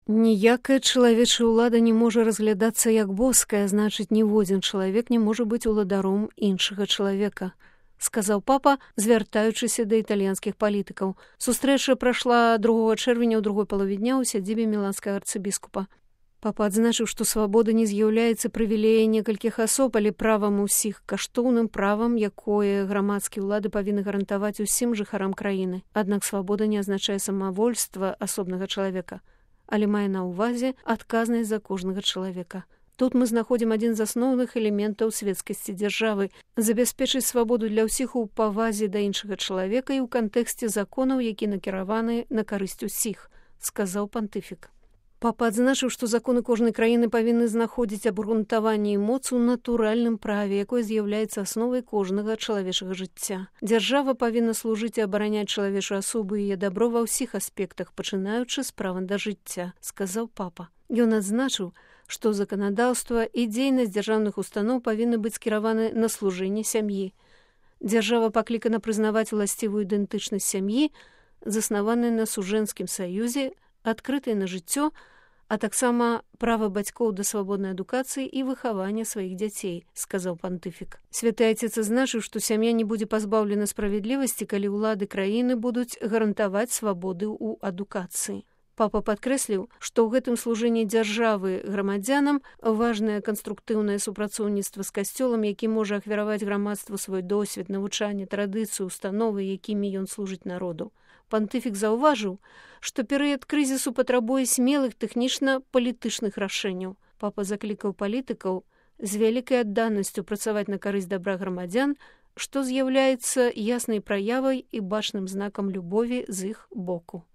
Ніякая чалавечая ўлада не можа разглядацца як боская, значыць, ніводзін чалавек не можа быць уладаром іншага чалавека, сказаў папа, звяртаючыся да італьянскіх палітыкаў. Сустрэча прайшла 2 чэрвеня ў другой палове дня ў сядзібе міланскага арцыбіскупа. Папа адзначыў, што свабода не з'яўляецца прывілеяй некалькіх асоб, але правам усіх, каштоўным правам, якое грамадскія ўлады павінны гарантаваць усім жыхарам краіны. Аднак свабода не азначае самавольства асобнага чалавека, але мае на ўвазе адказнасць за кожнага чалавека. Тут мы знаходзім адзін з асноўных элементаў свецкасці дзяржавы – забяспечыць свабоду для ўсіх у павазе да іншага чалавека і ў кантэксце законаў, які накіраваны на карысць усіх, сказаў пантыфік. Папа адзначыў, што законы кожнай краіны павінны знаходзіць абгрунтаванне і моц у натуральным праве, якое з'яўляецца асновай кожнага чалавечага жыцця. Дзяржава павінна служыць і абараняць чалавечую асобу і яе дабро ва ўсіх аспектах, пачынаючы з права да жыцця, сказаў папа. Ён адзначыў, што заканадаўства і дзейнасць дзяржаўных устаноў павінны быць скіраваны на служэнне сям'і. Дзяржава паклікана прызнаваць уласцівую ідэнтычнасць сям'і, заснаваную на сужэнскім саюзе, адкрытай на жыццё, а таксама права бацькоў да свабоднай адукацыі і выхавання сваіх дзяцей, сказаў пантыфік. Святы Айцец адзначыў, што сям'я не будзе пазбаўлена справядлівасці, калі ўлады краіны будуць гарантаваць свабоды ў адукацыі. Папа падкрэсліў, што ў гэтым служэнні дзяржавы грамадзянам важнае канструктыўнае супрацоўніцтва з касцёлам, які можа ахвяраваць грамадству свой досвед, навучанне, традыцыю, установы, якімі ён служыць народу. Пантыфік заўважыў, што перыяд крызісу патрабуе смелых тэхнічна-палітычных рашэнняў. Папа заклікаў палітыкаў з вялікай адданасцю працаваць на карысць дабра грамадзян, што з'яўляецца яснай праявай і бачным знакам любові з іх боку.